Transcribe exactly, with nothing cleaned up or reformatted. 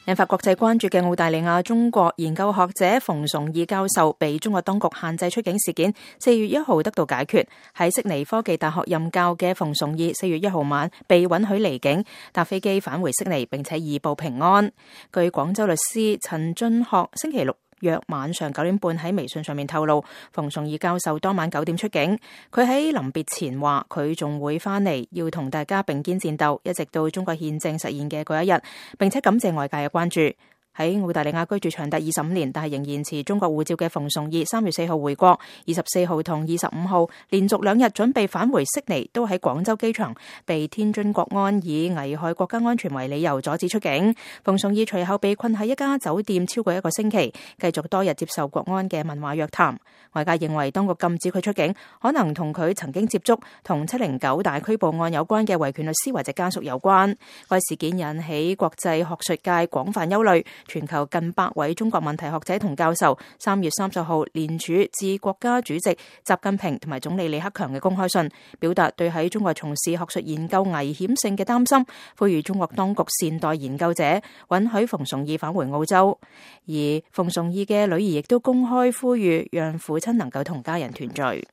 引發國際關注嘅澳大利亞中國研究學者馮崇義教授被中國當局限制出境事件，四月一號得到解決。喺悉尼科技大學任教嘅馮崇義，四月一號晚被允許離境，搭飛機返回悉尼，並且移步平安。據廣州律師陳俊學星期六約晚上九點半喺微信上面透露，馮崇義教授當晚九點出境。佢喺臨別前話，佢仲會翻嚟，要同大家並肩戰鬥，一直到中國憲政實現嘅嗰一日，並且感謝外界嘅關注。喺澳大利亞居住長達二十五年，但係仍然持中國護照嘅馮崇義，三月四號回國，二十四號同二十五號連續兩日準備返回悉尼，都喺廣州機場被天津國安以危害國家安全為理由阻止出境。馮崇義隨後被困喺一家酒店超過一個星期，繼續多日接受國安嘅問話約談。外界認為當局禁止佢出境，可能同佢曾經接觸同七零九大拘捕案有關嘅維權律師或者家屬有關。該事件引起國際學術界廣泛憂慮。全球近百位中國問題學者同教授三月三十號聯署致國家主席習近平同埋總理李克強嘅公開信，表達對喺中國從事學術研究危險性嘅擔心，呼籲中國當局善待研究者，允許馮崇義返回澳洲。而馮崇義嘅女兒亦都公開呼籲讓父親能夠同家人團聚。